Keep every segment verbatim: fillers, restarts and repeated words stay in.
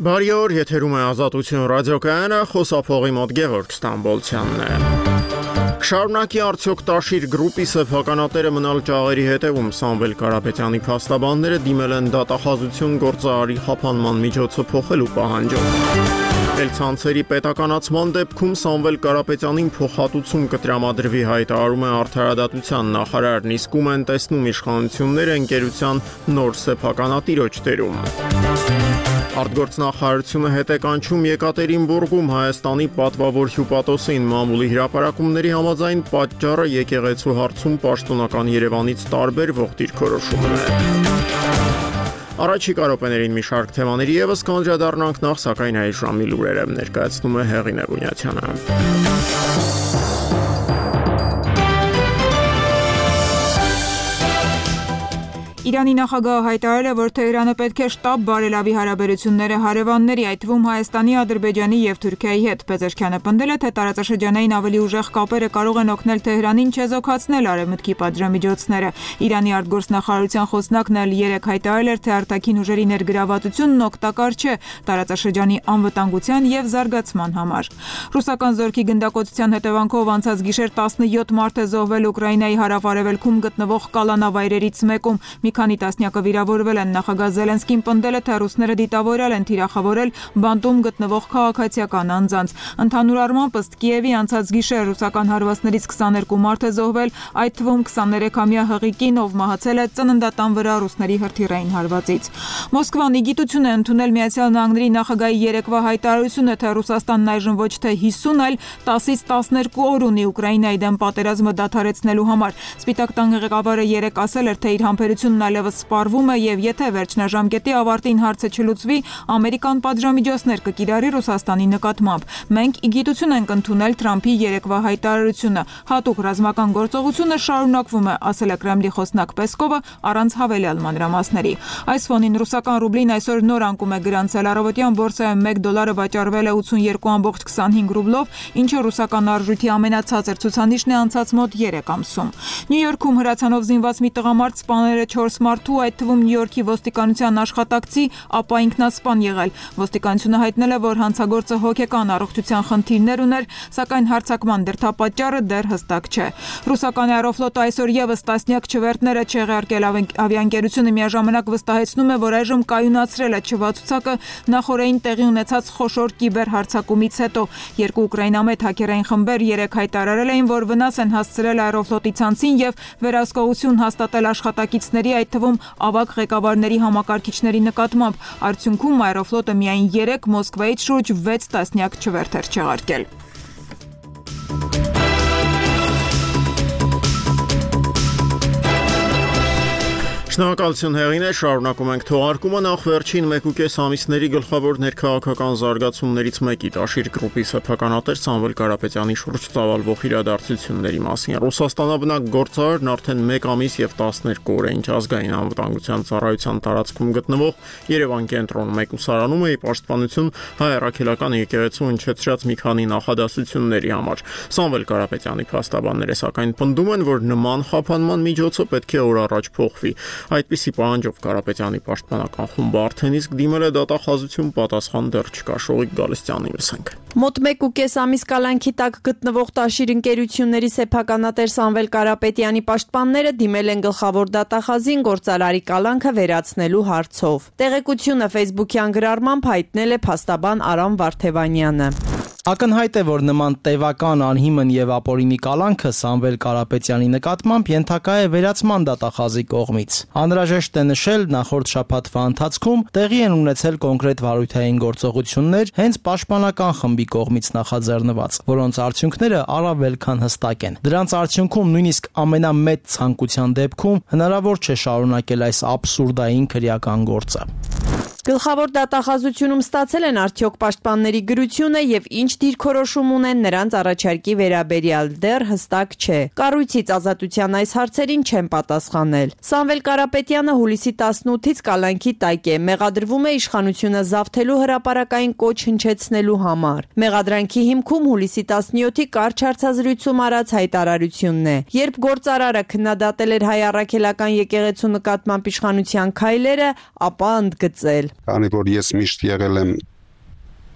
Բարի օր, եթերում է Ազատություն ռադիոկայանը, խոսափողի մոտ Գևորգ Ստամբոլցյանն է։ Շարունակի արդյոք Տաշիր գրուպի սեփականատերը մնալ ճաղերի հետևում Սամվել Կարապետյանի փաստաբանները դիմել են դատախազություն գործարարի խափանման միջոցը փոխելու պահանջով։ Ցանցերի պետականացման դեպքում Սամվել Կարապետյանին փոխհատուցում կտրամադրվի հայտարարում է Արդարադատության նախարարն, իսկ ում են տեսնում իշխանությունները ընկերության նոր սեփականատիրոջ դերում։ Արտգործնախարարությունը հետ է կանչում Եկատերինբուրգում Հայաստանի պատվավոր հյուպատոսին մամուլի հրապարակումների համաձայն պատճառը եկեղեցու հարցում պաշտոնական Երևանից տարբերվող դիրքորոշումն է։ Առաջիկա րոպեներին մի շարք թեմաների ևս կանդրադառնանք, նախ սակայն այս ժամի լուրերը ներկայացնում է Հեղինե Բունյացյանը։ Իրանի նախագահը հայտարարել է, որ Թեհրանը պետք է շտապ բարելավի հարաբերությունները հարևանների, այդ թվում Հայաստանի, Ադրբեջանի և Թուրքիայի հետ։ Պեզեշքյանը պնդել է, թե տարածաշրջանային ավելի ուժեղ կապերը կարող են օգնել Թեհրանին չեզոքացնել արևմուտքի պատժամիջոցները։ Իրանի արտգործնախարարության խոսնակն էլ երեկ հայտարարել էր, թե արտաքին ուժերի ներգրավվածությունն օգտակար չէ տարածաշրջանի անվտանգության և զարգացման համար։ Ռուսական զորքի գնդակոծության հետևանքով անցած գիշեր տասնյոթ մարդ է զոհվել Ուկրաինայի հարավ-արևելքում գտնվող կալանավայրերից մեկում։ Մի քանի տասնյակը վիրավորվել են։ Նախագահ Զելենսկին պնդել է, թե ռուսները դիտավորել են թիրախավորել բանտում գտնվող քաղաքացիական անձանց։ Ընդհանուր առմամբ ըստ Կիևի անցած գիշեր ռուսական հարվածներից քսաներկու մարդ է զոհվել, այդ թվում քսաներեքամյա հղիկին, ով մահացել է ծննդատան վրա ռուսների հրթիռային հարվածից։ Մոսկվան իգիտություն է ընդունել Միացյալ Նահանգների նախագահի երեկվա հայտարարությունը, թե Ռուսաստանն այժմ ոչ թե հիսուն, այլ տասից տասներկու օր ունի Ուկրաինայի դեմ պատերազմը դադարեցնելու համար։ Սպիտակ տան ղեկավարը երեկ ասել էր, թե իր համբերությունն այլևս սպառվում է և եթե վերջնաժամկետի ավարտին հարցը չլուծվի, ամերիկան պատժամիջոցներ կկիրառի Ռուսաստանի նկատմամբ։ Մենք իգիտություն ենք ընդունել Թրամփի երեկվա հայտարարությունը։ Հատուկ ռազմական գործողությունը շարունակվում է, ասել է Կրեմլի խոսնակ Պեսկովը առանց հավելյալ մանրամասների։ Այս ֆոնին ռուսական ռուբլին այսօր նոր անկում է գրանցել։ Առավոտյան բորսայում մեկ դոլարը վաճառվել է ութսունյոթ կόμμα քսանհինգ ռուբլով, ինչը ռուսական արժույթի ամենացածր ցուցանիշն է անցած մոտ երեք ամսում։ Նյու Յորքում հրացանով զինված մի տղամարդ սպանել է չորս մարդու, այդ թվում Նյու Յորքի ոստիկանության աշխատակցի, ապա ինքնասպան եղել։ Ոստիկանությունը հայտնել է, որ հանցագործը հոգեկան առողջության խնդիրներ ուներ, սակայն հարձակման դրդապատճառը դեռ հստակ չէ։ Ռուսական Aeroflot-ը այսօր ևս տասնյակ չվերթներ է չեղարկել։ Ավիաընկերությունը միաժամանակ վստահեցնում է, որ այժմ կայունացրել է չվացուցակը նախօրեին տեղի ունեցած խոշոր կիբերհարձակումից հետո։ Երկու ուկրաինամետ հաքերային խմբեր երեկ հայտարարել էին, որ վնաս են հասցրել Aeroflot-ի ցանցին և վերահսկողություն հաստատել աշխատակիցների, այդ թվում ավագ ղեկավարների համակարգիչների նկատմամբ։ Արդյունքում Aeroflot-ը միայն երեք Մոսկվայից շուրջ վեց տասնյակ չվերթեր չեղարկել։ Շնորհակալություն Հեղինե, շարունակում ենք թողարկումը, նախ վերջին մեկուկես ամիսների գլխավոր ներքաղաքական զարգացումներից մեկի Տաշիր գրուպի սեփականատեր Սամվել Կարապետյանի շուրջ ծավալվող իրադարձությունների մասին։ Ռուսաստանաբնակ գործարարն արդեն մեկ ամիս և տասներկու օր է ինչ ազգային անվտանգության ծառայության տարածքում գտնվող Երևան կենտրոն մեկուսարանում է ի պաշտպանություն հայ առաքելական եկեղեցու հնչեցրած մի քանի նախադասությունների համար։ Սամվել Կարապետյանի փաստաբանները սակայն պնդում են, որ նման խափանման միջոցը պետք է օր առաջ փոխվի։ Այդպիսի պահանջով Կարապետյանի պաշտպանական խումբը արդեն իսկ դիմել է դատախազություն, պատասխան դեռ չկա։ Շողիկ Գալստյանի լսենք։ Մոտ մեկ ու կես ամիս կալանքի տակ գտնվող Տաշիր ընկերությունների սեփականատեր Սամվել Կարապետյանի պաշտպանները դիմել են գլխավոր դատախազին գործարարի կալանքը վերացնելու հարցով։ Տեղեկությունը Facebook-յան գրառմամբ հայտնել է փաստաբան Արամ Վարդևանյանը։ Ակնհայտ է, որ նման տևական անհիմն եւ ապօրինի կալանքը Սամվել Կարապետյանի նկատմամբ ենթակա է վերացման դատախազի կողմից։ Անհրաժեշտ է նշել, նախորդ շաբաթվա ընթացքում տեղի են ունեցել կոնկրետ վարույթային գործողություններ հենց պաշտպանական խմբի կողմից նախաձեռնված, որոնց արդյունքները առավել քան հստակ են։ Դրանց արդյունքում նույնիսկ ամենամեծ ցանկության դեպքում հնարավոր չէ շարունակել այս աբսուրդային քրեական գործը։ Գլխավոր դատախազությունում ստացել են արդյոք պաշտպանների գրությունը եւ ինչ դիրքորոշում ունեն նրանց առաջարկի վերաբերյալ, դեռ հստակ չէ։ Կառույցից Ազատության այս հարցերին չեն պատասխանել։ Սամվել Կարապետյանը հուլիսի տասնութից կալանքի տակ է, մեղադրվում է իշխանությունը զավթելու հրապարակային կոչ հնչեցնելու համար։ Մեղադրանքի հիմքում հուլիսի տասնյոթի կարճ հարցազրույցում արած հայտարարությունն է։ Երբ գործարարը քննադատել էր հայ առաքելական եկեղեցու նկատմամբ իշխանության քայլերը, ապա ընդգծել. Քանի որ ես միշտ եղել եմ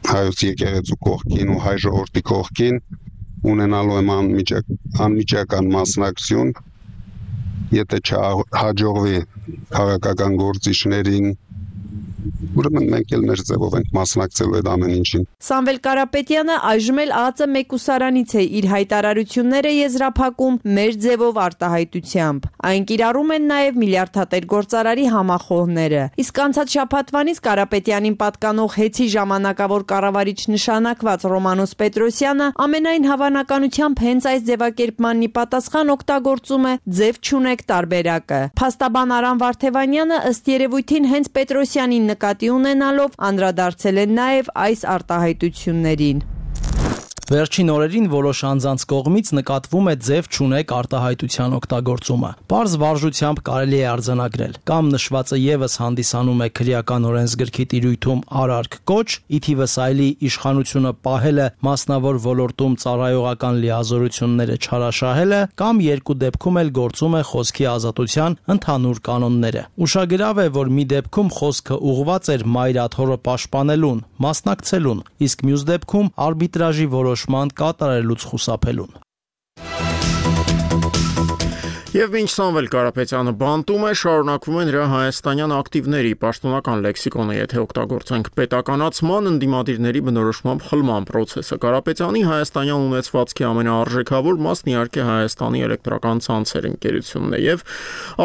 հայոց եկեղեցու կողքին ու հայ ժողովրդի կողքին, ունենալու եմ անմիջակ, անմիջական մասնակցություն, եթե չհաջողվի քաղաքական գործիչներին, ուրեմն մենք էլ մեր ձևով ենք մասնակցելու այդ ամեն ինչին։ Սամվել Կարապետյանը այժմ էլ ԱԾ մեկուսարանից է իր հայտարարությունները եզրափակում մեր ձևով արտահայտությամբ։ Այն կիրառում են նաև միլիարդատեր գործարարի համախոհները։ Իսկ անցած շաբաթվանից Կարապետյանին պատկանող հեծի ժամանակավոր կառավարիչ նշանակված Ռոմանոս Պետրոսյանը ամենայն հավանականությամբ հենց այս ձևակերպմանն ի պատասխան օգտագործում է ձև չունեք տարբերակը։ Փաստաբան Արամ Վարդևանյանը ըստ երևույթին հենց Պետրոսյանին նկատի ունենալով անդրադարձել են նաև այս արտահայտություններին։ Վերջին օրերին որոշ անձանց կողմից նկատվում է ձև չունեք արտահայտության օգտագործումը։ Պարզ վարժությամբ կարելի է արձանագրել։ Կամ նշվածը եւս հանդիսանում է քրեական օրենսգրքի տիրույթում արարք կոչ, ի թիվս այլի իշխանությունը պահելը մասնավոր ոլորտում ծառայողական լիազորությունները չարաշահելը, կամ երկու դեպքում էլ գործում է խոսքի ազատության ընդհանուր կանոնները։ Ուշագրավ է, որ մի դեպքում խոսքը ուղղված էր մայրաթորը պաշտպանելուն, մասնակցելուն, իսկ մյուս դեպքում արբիտրաժի որոշման կատարելուց խուսափելուն։ Եվ մինչ Սամվել Կարապետյանը բանտում է, շարունակվում է նրա հայաստանյան ակտիվների պաշտոնական լեքսիկոնը, եթե օգտագործենք պետականացման, ընդդիմադիրների բնորոշմամբ խլման պրոցեսը։ Կարապետյանի հայաստանյան ունեցվածքի ամենաարժեքավոր մասն իհարկե Հայաստանի էլեկտրական ցանցեր ընկերությունն է, եւ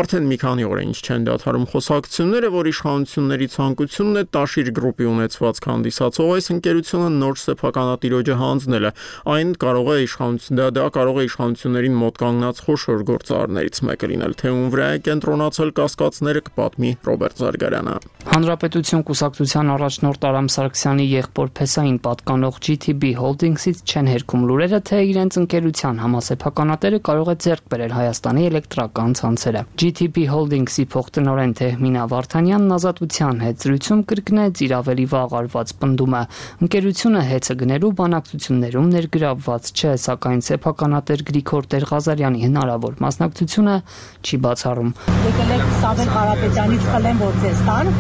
արդեն մի քանի օր է ինչ չեն դադարում խոսակցությունները, որ իշխանությունների ցանկությունն է Տաշիր գրուպի ունեցվածք հանդիսացող այս ընկերությունը նոր սեփականատիրոջը հանձնելը։ Այն կարող է իշխանություն դա, դա կարող է իշխանություններին մոտ կանգնած խոշոր գործարարներ մեկը լինել, թե ում վրա է կենտրոնացել կասկածները կպատմի Ռոբերտ Զարգարյանը։ Հանրապետություն կուսակցության առաջնորդ Արամ Սարգսյանի եղբոր Փեսային պատկանող G T B Holdings-ից չեն հերքում լուրերը, թե իրենց ընկերության համասեփականատերը կարող է ձեռք բերել Հայաստանի էլեկտրական ցանցերը։ G T B Holdings-ի փոխտնօրեն Թեհմինա Վարդանյանն ազատության հետ զրույցում կրկնեց իր ավելի վաղ արված պնդումը։ Ընկերությունը հեծը գնելու բանակցություններում ներգրավված չէ, սակայն սեփականատեր Գրիգոր Տեր-Ղազարյանի հնարավոր մասնակցությունը չի բացառում։ Եկել եք Սամվել Կարապետյանից խլեն, որ ձեզ տան։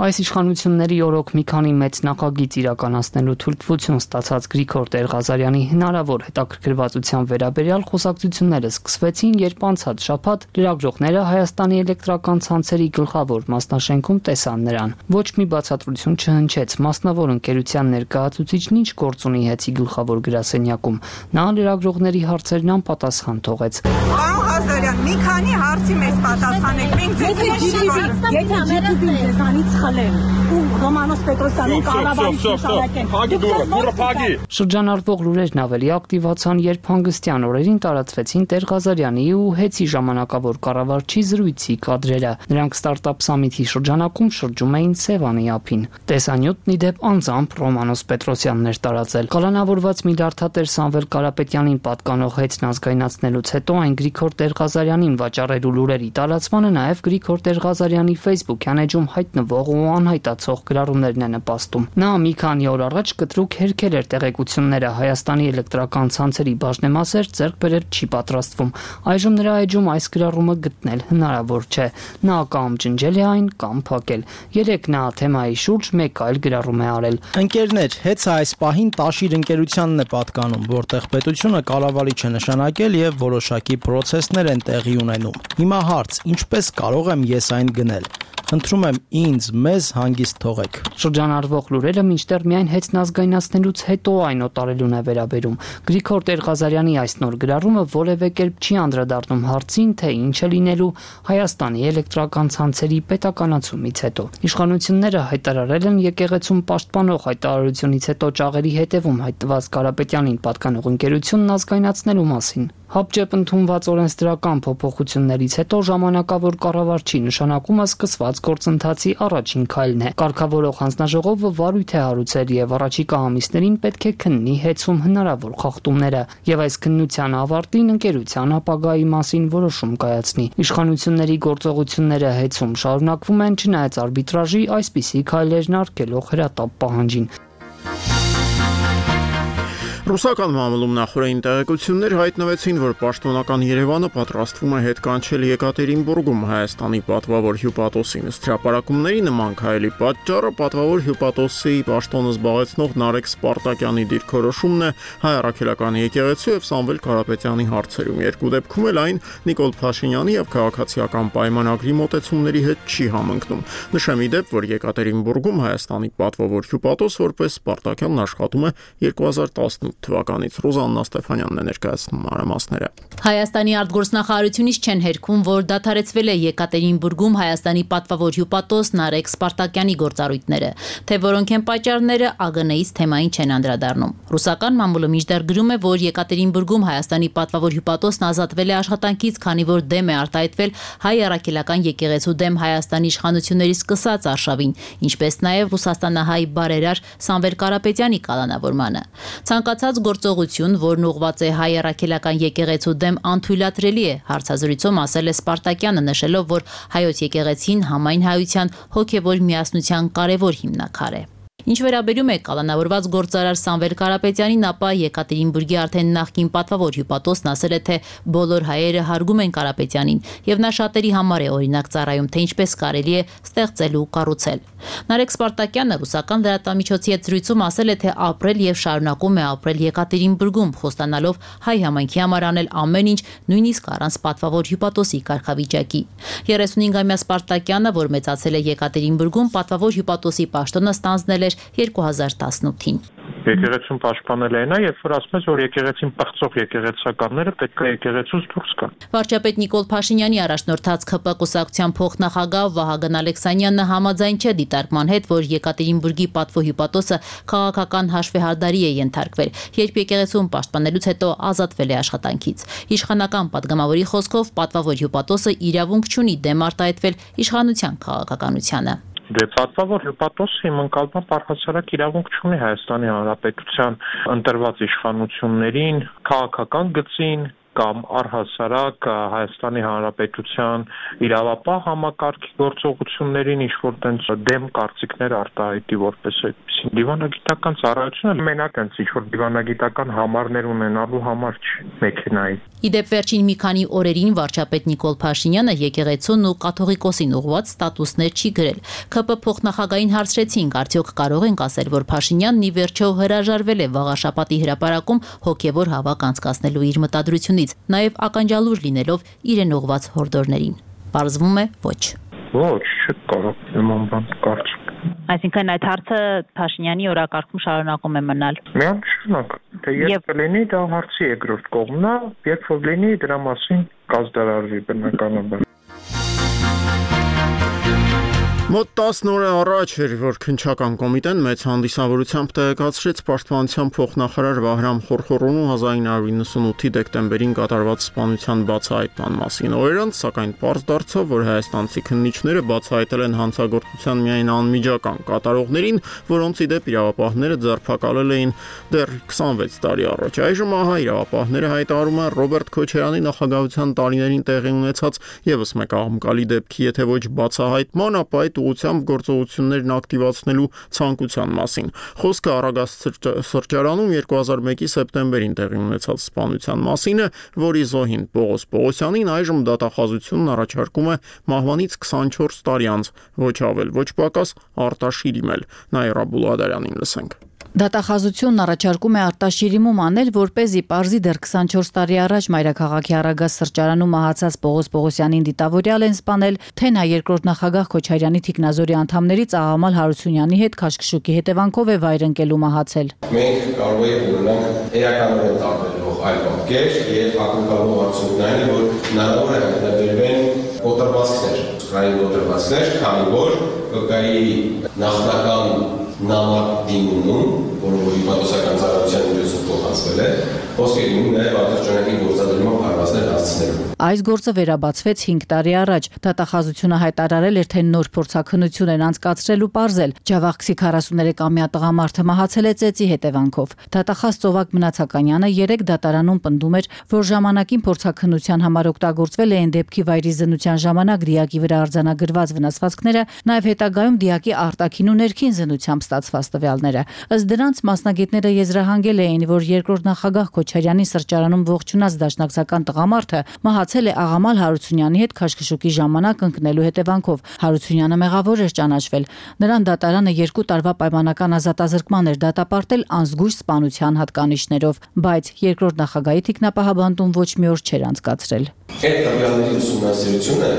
Այս իշխանությունների օրոք մի քանի մեծ նախագիծ իրականացնելու թույլտվություն ստացած Գրիգոր Տեր-Ղազարյանի հնարավոր հետաքրքրվածության վերաբերյալ խոսակցությունները սկսվեցին, երբ անցած շաբաթ լրագրողները Հայաստանի էլեկտրական ցանցերի գլխավոր մասնաշենքում տեսան նրան։ Ոչ մի բացատրություն չհնչեց, մասնավոր ընկերության ներկայացուցիչն ինչ գործ ունի հեծի գլխավոր գրասենյակում։ Նա լրագրողների հարցերն անպատասխան թողեց։ Պարոն Ղազարյան, մի քանի հարցի մեզ պատասխանեք։ Մենք ձեզ ու Ռոմանոս Պետրոսյանին կառավարիչ նշանակեն։ Շրջանառվող լուրերն ավելի ակտիվացան, երբ հանգստյան օրերին տարածվեցին Տեր-Ղազարյանի ու հեծի ժամանակավոր կառավարչի զրույցի կադրերը։ Նրանք ստարտափ սամիթի շրջանակում շրջում էին Սևանի ափին։ Տեսանյութն ի դեպ անձամբ Ռոմանոս Պետրոսյանն էր տարածել։ Կալանավորված միլիարդատեր Սամվել Կարապետյանին պատկանող հեծն ազգայնացնելուց հետո այն Գրիգոր Տեր-Ղազարյանին վաճառելու լուրերի տարածմանը նաև Գրիգոր Տեր-Ղազարյանի Facebook-յան էջում հայտնվող ու անհայտացող գրառումներն է նպաստում։ Նա մի քանի օր առաջ կտրուկ հերքել էր տեղեկությունները Հայաստանի էլեկտրական ցանցերի բաժնեմասեր ձեռք բերել չի պատրաստվում։ Այժմ նրա էջում այս գրառումը գտնել հնարավոր չէ։ Նա կամ ջնջել է այն, կամ փակել։ Երեք նա թեմայի շուրջ մեկ այլ գրառում է արել։ Ընկերներ, հեծը այս պահին Տաշիր ընկերությանն է պատկանում, որտեղ պետությունը կառավարիչ է նշանակել եւ որոշակի պրոցեսներ են տեղի ունենում։ Հիմա հարց, ինչպես կարող եմ ես այն գնել։ Խնդրում եմ ինձ, մեզ հանգիստ թողեք։ Շրջանառվող լուրերը մինչդեռ միայն հեծն ազգայնացնելուց հետո այն օտարելուն է վերաբերում։ Գրիգոր Տեր-Ղազարյանի այս նոր գրառումը որևէ կերպ չի անդրադառնում հարցին, թե ինչ է լինելու Հայաստանի էլեկտրական ցանցերի պետականացումից հետո։ Իշխանությունները հայտարարել են եկեղեցում պաշտպանող հայտարարությունից հետո ճաղերի հետևում հայտնված Կարապետյանին պատկանող ընկերությունն ազգայնացնելու մասին։ Հապճեպ ընդունված օրենսդրական փոփոխություններից հետո ժամանակավոր կառավարչի նշանակումը սկսված գործընթացի առաջին քայլն է։ Կարգավորող հանձնաժողովը վարույթ է հարուցել եւ առաջիկա ամիսներին պետք է քննի հեծում հնարավոր խախտումները եւ այս քննության ավարտին ընկերության ապագայի մասին որոշում կայացնի։ Իշխանությունների գործողությունները հեծում շարունակվում են, չնայած արբիտրաժի այսպիսի քայլերն արգելող հրատապ պահանջին։ Ռուսական մամուլում նախորդային տեղեկություններ հայտնվեցին, որ պաշտոնական Երևանը պատրաստվում է հետ կանչել Եկատերինբուրգում Հայաստանի պատվավոր հյուպատոսին։ Ըստ հրապարակումների նման քայլի պատճառը պատվավոր հյուպատոսի պաշտոնը զբաղեցնող Նարեկ Սպարտակյանի դիրքորոշումն է հայ առաքելական եկեղեցու եւ Սամվել Կարապետյանի հարցերում։ Երկու դեպքում էլ այն Նիկոլ Փաշինյանի եւ քաղաքացիական պայմանագրի մոտեցումների հետ չի համընկնում։ Նշեմ ի դեպ, որ Եկատերինբուրգում Հայաստանի պատվավոր հյուպատոս որպես Սպարտակյանն աշխատում է երկու հազար տասնութ թվականից։ Ռուզաննա Ստեփանյանն է ներկայացնում մանրամասները։ Հայաստանի արտգործնախարարությունից չեն հերքում, որ դադարեցվել է Եկատերինբուրգում Հայաստանի պատվավոր հյուպատոս Նարեկ Սպարտակյանի գործառույթները, թե որոնք են պատճառները ԱԳՆ-ից թեմային չեն անդրադառնում։ Ռուսական մամուլը մինչդեռ գրում է, որ Եկատերինբուրգում Հայաստանի պատվավոր հյուպատոսն ազատվել է աշխատանքից, քանի որ դեմ է արտահայտվել հայ առաքելական եկեղեցու դեմ Հայաստանի իշխանությունների սկսած արշավին, ինչպես նաև ռուսաստանահայ բարերար Սամվել Կարապետյանի կալանավորմանը։ Ցանկացած գործողություն, որն ուղղված է հայ առաքելական եկեղեցու դեմ, անթույլատրելի է, հարցազրույցում ասել է Սպարտակյանը, նշելով, որ հայոց եկեղեցին համայն հայության հոգևոր միասնության կարևոր հիմնաքար է։ Ինչ վերաբերում է կալանավորված գործարար Սամվել Կարապետյանին, ապա Եկատերինբուրգի արդեն նախկին պատվավոր հյուպատոսն ասել է, թե բոլոր հայերը հարգում են Կարապետյանին եւ նա շատերի համար է օրինակ ծառայում, թե ինչպես կարելի է ստեղծել ու կառուցել։ Նարեկ Սպարտակյանը ռուսական լրատվամիջոցի հետ զրույցում ասել է, թե ապրել եւ շարունակում է ապրել Եկատերինբուրգում, խոստանալով հայ համայնքի համար անել ամեն ինչ, նույնիսկ առանց պատվավոր հյուպատոսի կարգավիճակի։ երեսունհինգամյա Սպարտակյանը, որ մեծացել է Եկատերինբուրգում, պատվավոր հյուպատոսի պաշտոնը ստանձնել երկու հազար տասնութին։ Եկեղեցուն պաշտպանել է նա, երբ որ ասում է, որ եկեղեցին պղծող եկեղեցականները պետք է եկեղեցուց դուրս գան։ Վարչապետ Նիկոլ Փաշինյանի առաջնորդած ՔՊ կուսակցության փոխնախագահ Վահագն Ալեքսանյանը համաձայն չէ դիտարկման հետ, որ Եկատերինբուրգի պատվո հյուպատոսը քաղաքական հաշվեհարդարի է ենթարկվել, երբ եկեղեցուն պաշտպանելուց հետո ազատվել է աշխատանքից։ Իշխանական падգամավորի խոսքով պատվավոր հյուպատոսը իրավունք չունի դեմ արտահայտվել իշխանության քաղաքականությանը։ Դե պատվավոր հյուպատոսը իմ ընկալմամբ առհասարակ իրավունք չունի Հայաստանի Հանրապետության ընտրված իշխանություններին, քաղաքական գծին կամ առհասարակ Հայաստանի Հանրապետության իրավապահ համակարգի գործողություններին ինչ-որ տենց դեմ կարծիքներ արտահայտի որպես այդպիսին։ Դիվանագիտական ծառայությունը մենակ այնց ինչ-որ դիվանագիտական համարներ ունենալու համար չի մեքենայի։ Իդեպ վերջին մի քանի օրերին վարչապետ Նիկոլ Փաշինյանը եկեղեցուն ու կաթողիկոսին ուղղված ստատուսներ չի գրել։ ՔՊ փոխնախագահային հարցրեցինք, արդյոք կարող ենք ասել, որ Փաշինյանն ի վերջո հրաժարվել է վաղաշաբաթի հրապարակում հոգևոր հավաք անցկացնելու իր մտադրությունից, նաև ականջալուր լինելով իրեն ուղղված հորդորներին։ Պարզվում է ոչ։ Ոչ, չկարող նման բան կարծիք։ Այսինքն այդ հարցը Փաշինյանի օրակարգում շարունակում է մնալ։ Միանշանակ, թե երբ կլինի դա հարցի երկրորդ կողմն է, երբ որ լինի դրա մասին կազդարարվի բնականաբար։ Մոտ տասն օր առաջ էր, որ քննչական կոմիտեն մեծ հանդիսավորությամբ տեղեկացրեց պաշտպանության փոխնախարար Վահրամ Խորխորոնու հազար ինը հարյուր նվաթ դեկտեմբերին կատարված սպանության բացահայտման մասին։ Օրեր անց, սակայն պարզ դարձավ, որ հայաստանցի քննիչները բացահայտել են հանցագործության միայն անմիջական կատարողներին, որոնց ի դեպ իրավապահները ձերբակալել էին դեռ քսանվեց տարի առաջ։ Այժմ ահա իրավապահները հայտարարում են Ռոբերտ Քոչարյանի նախագահության տարիներին տեղի ունեցած եւս մեկ աղմկալի դեպքի, եթե ոչ բացահայտման, ապա այդ ուղղությամբ գործողություններն ակտիվացնելու ցանկության մասին։ Խոսքը Արագաստ սրճարանում երկու հազար մեկի սեպտեմբերին տեղի ունեցած սպանության մասին է, որի զոհին Պողոս Պողոսյանին այժմ դատախազությունն առաջարկում է մահվանից քսանչորս տարի անց, ոչ ավել, ոչ պակաս Արտաշիրիմ էլ։ Նաիրա Բուլղադարյանին լսենք։ Դատախազությունն առաջարկում է արտաշիրիմում անել, որպեսզի պարզի դեռ քսանչորս տարի առաջ մայրաքաղաքի Արագաստ սրճարանում մահացած Պողոս Պողոսյանին դիտավորյալ են սպանել, թե նա երկրորդ նախագահ Քոչարյանի թիկնազորի անդամներից Աղամալ Հարությունյանի հետ քաշքշուկի հետևանքով է վայր ընկելու մահացել։ Մենք կարող ենք ունենալ էականորեն տարբերվող այլ պատկեր եւ ակնկալող արդյունքն այն է, որ հնարավոր է հայտնաբերվեն կոտրվածքներ, սխալային կոտրվածքներ, քանի որ կգայի նախնական նամակ դիմում, որը հիպատոսական ծառայության միջոցով փոխանցվել է, խոսքը լինում նաև ատրճանակի գործադրման հարվածներ հասցնելու։ Այս գործը վերաբացվեց հինգ տարի առաջ։ Դատախազությունը հայտարարել էր, թե նոր փորձաքննություն են անցկացրել ու պարզել։ Ջավախքսի քառասուներեքամյա տղամարդը մահացել է ծեծի հետևանքով։ Դատախազ Ծովակ Մնացականյանը երեք դատարանում պնդում էր, որ ժամանակին փորձաքննության համար օգտագործվել էին դեպքի վայրի զննության ժամանակ դիակի վրա արձանագրված վնասվածքները, նաև հետագայում դիակի արտաքին ու ներքին զննությամբ ստացված տվյալները։ Ըստ դրանց մասնագետները եզրահանգել էին, որ երկրորդ նախագահ Քոչարյանի սրճարանում ողջունած դաշնակցական տղամարդը մահացել է Աղամալ Հարությունյանի հետ քաշքշուկի ժամանակ ընկնելու հետևանքով։ Հարությունյանը մեղավոր էր ճանաչվել։ Նրան դատարանը երկու տարվա պայմանական ազատազրկման էր դատապարտել անզգույշ սպանության հատկանիշներով, բայց երկրորդ նախագահի թիկնապահաբանտում ոչ մի օր չէր անցկացրել։ Այդ տվյալների ուսումնասիրությունը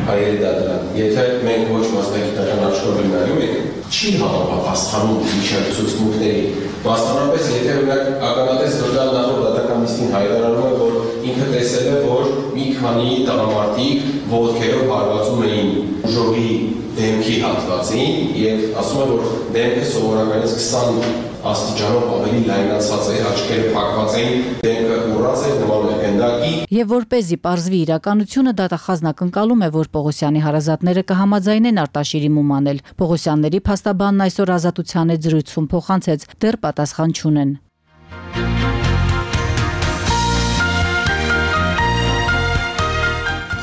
հայերի դատարան, եթե մենք ոչ մասնագիտական աշխարհում նայում ենք, չի համապատասխանում իշխանությունների, մասնավորապես եթե օրինակ ականատես դրդալ նախորդ դատական նիստին հայտարարում է, որ ինքը տեսել է, որ մի քանի տղամարդիկ ոտքերով հարվածում էին ուժովի դեմքի հատվածին եւ ասում է, որ դեմքը սովորականից քսան աստիճանով ավելի լայնացած է, աչքերը փակված էին, դեմքը ուռած է, նման է գնդակի։ Եվ որպեսզի պարզվի իրականությունը, դատախազն ակնկալում է, որ Պողոսյանի հարազատները կհամաձայնեն Արտաշիրի մումանել։ Պողոսյանների փաստաբանն այսօր Ազատության հետ զրույցում փոխանցեց, դեռ պատասխան չունեն։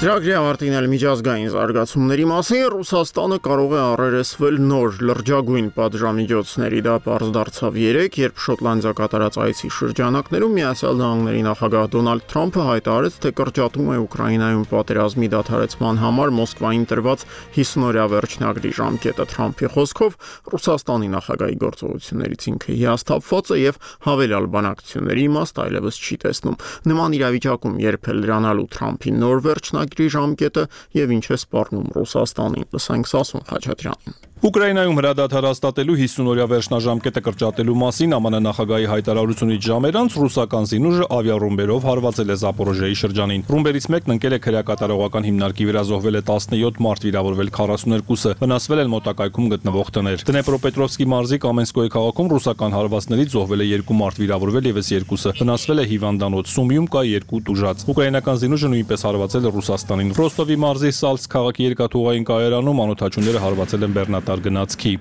Ծրագրի ավարտին էլ միջազգային զարգացումների մասին Ռուսաստանը կարող է առերեսվել նոր լրջագույն պատժամիջոցների, դա պարզ դարձավ երեկ, երբ Շոտլանդիա կատարած այցի շրջանակներում Միացյալ Նահանգների նախագահ Դոնալդ Թրամփը հայտարարեց, թե կրճատում է Ուկրաինայում պատերազմի դադարեցման համար Մոսկվային տրված հիսուն-օրյա վերջնագրի ժամկետը։ Թրամփի խոսքով Ռուսաստանի նախագահի գործողություններից ինքը հիասթափված է եւ հավելյալ բանակցությունների իմաստ այլևս չի տեսնում։ Նման իրավիճակում երբ է լրանալու Թրամփի նոր վերջնագ ժամկետը եւ ինչ է սպառնում Ռուսաստանին, լսենք Սասուն Խաչատրյանին։ Ուկրաինայում հրադադար հաստատելու հիսուն-օրյա վերջնաժամկետը կրճատելու մասին ԱՄՆ նախագահի հայտարարությունից ժամ անց ռուսական զինուժը ավիառումբերով հարվածել է Զապորոժիայի շրջանին։ Ռումբերից մեկն ընկել է քրեակատարողական հիմնարկի վրա, զոհվել է տասնյոթ մարդ, վիրավորվել քառասուներկուսը, վնասվել են մոտակայքում գտնվող տներ։ Դնեպրոպետրովսկի մարզի Կամենսկոյի քաղաքում ռուսական հարվածներից զոհվել է երկու մարդ, վիրավորվել եւս երկուսը, վնասվել է հիվանդանոց, Սումիում կա երկու տուժած։ Ուկրաինական զինուժը նույնպես հարվածել է Ռուսաստանին։ Ռոստովի մարզի Սալցկ քաղաքի երկաթուղային կայարանում անօթաչուները հարվածել են բեռնատար գնացքի։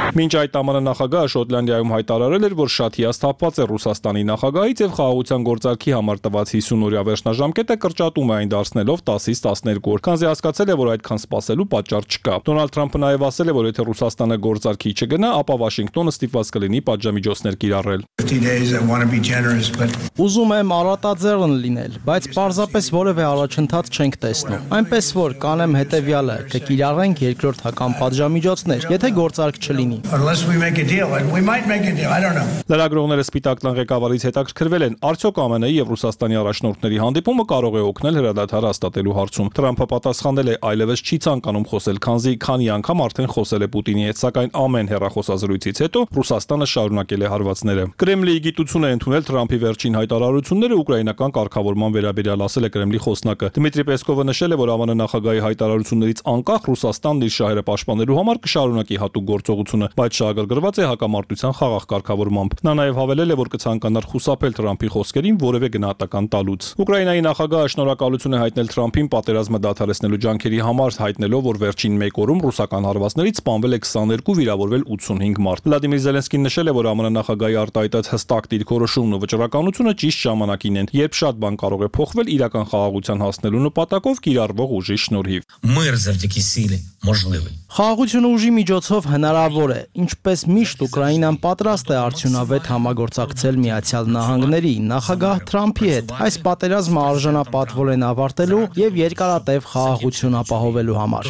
Մինչ այդ ԱՄՆ նախագահը Շոտլանդիայում հայտարարել էր, որ շատ հիասթափված է Ռուսաստանի նախագահից եւ խաղաղության գործարքի համար տված հիսուն-օրյա վերջնաժամկետը կրճատում է այն դարձնելով տասից տասներկու օր, քանզի հասկացել է, որ այդքան սպասելու պատճառ չկա։ Դոնալդ Թրամփը նաեւ ասել է, որ եթե Ռուսաստանը գործարքի չգնա, ապա Վաշինգտոնը ստիպված կլինի պատժամիջոցներ կիրառել։ Ուզում եմ առատաձեռն լինել, բայց պարզապես որևէ առաջընթաց չենք տեսնում։ Այնպես որ կանեմ հետեւյալը, կկիրառենք երկրորդական պատժամիջոցներ, եթե գործարք չլինի։ Unless we make a deal, and we might make a deal, I don't know. Լրագրողները Սպիտակ տան ղեկավարից հետաքրքրվել են, արդյոք ԱՄՆ-ի եւ Ռուսաստանի առաջնորդների հանդիպումը կարող է օգնել հրադադար հաստատելու հարցում։ Թրամփը պատասխանել է, այլևս չի ցանկանում խոսել, քանզի քանի անգամ արդեն խոսել է Պուտինի հետ, սակայն ամեն հեռախոսազրույցից հետո Ռուսաստանը շարունակել է հարվածները։ Կրեմլի գիտություն է ընդունել Թրամփի վերջին հայտարարությունները ուկրաինական կարգավորման վերաբերյալ, ասել է Կրեմլի խոսնակը։ Դմիտրի Պեսկովը նշել է, որ ԱՄՆ նախագահի հայտարարություններից անկախ Ռուսաստանն իր շահերը պաշտպանելու համար կշարունակի հատուկ գործողությունը, բայց շահագրգռված է հակամարտության խաղաղ կարգավորմամբ։ Նա նաև հավելել է, որ կցանկանար խուսափել Թրամփի խոսքերին որևէ գնահատական տալուց։ Ուկրաինայի նախագահը շնորհակալություն է հայտնել Թրամփին պատերազմը դադարեցնելու ջանքերի համար, հայտնելով, որ վերջին մեկ օրում ռուսական հարվածներից սպանվել է քսաներկու, վիրավորվել ութսունհինգ մարդ։ Վլադիմիր Զելենսկին նշել է, որ ԱՄՆ նախագահի արտահայտած հստակ դիրքորոշումն ու վճռականությունը ճիշտ ժամանակին են, երբ շատ բան կարող է փոխվել իրական խաղաղության հասնելու նպատակով կիրառվող ուժի շնորհիվ։ Խաղաղությունը ուժի միջոցով հնարավոր է, ինչպես միշտ Ուկրաինան պատրաստ է արդյունավետ համագործակցել Միացյալ Նահանգների նախագահ Թրամփի հետ։ Այս պատերազմը արժանապատվորեն են ավարտելու եւ երկարատև խաղաղություն ապահովելու համար։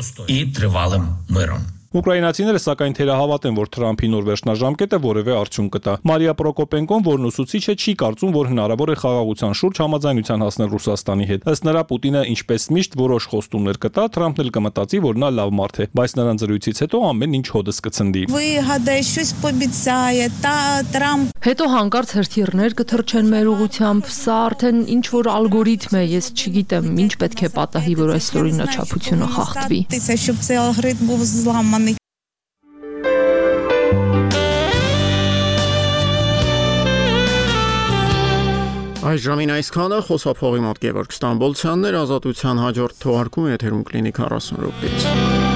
Ուկրաինացիները սակայն թերահավատ են, որ Թրամփի նոր վերջնաժամկետը որևէ արդյունք կտա։ Մարիա Պրոկոպենկոն, որն ուսուցիչ է, չի կարծում, որ հնարավոր է խաղաղության շուրջ համաձայնության հասնել Ռուսաստանի հետ։ Ըստ նրա, Պուտինը ինչպես միշտ որոշ խոստումներ կտա, Թրամփն էլ կմտածի, որ նա լավ մարդ է, բայց նրան զրույցից հետո ամեն ինչ հոդս կցնդի։ Հետո հանկարծ հրթիռներ կթռչեն մեր ուղությամբ, սա արդեն ինչ որ ալգորիթմ է, ես չգիտեմ, ինչ պետք է պատահի, որ այս օրինաչափությունը խախտվի։ Այս ժամին այսքանը, խոսափողի մոտ Գևորգ Ստամբոլցյանն էր, Ազատության հաջորդ թողարկումը եթերում կլինի քառասուն րոպեից։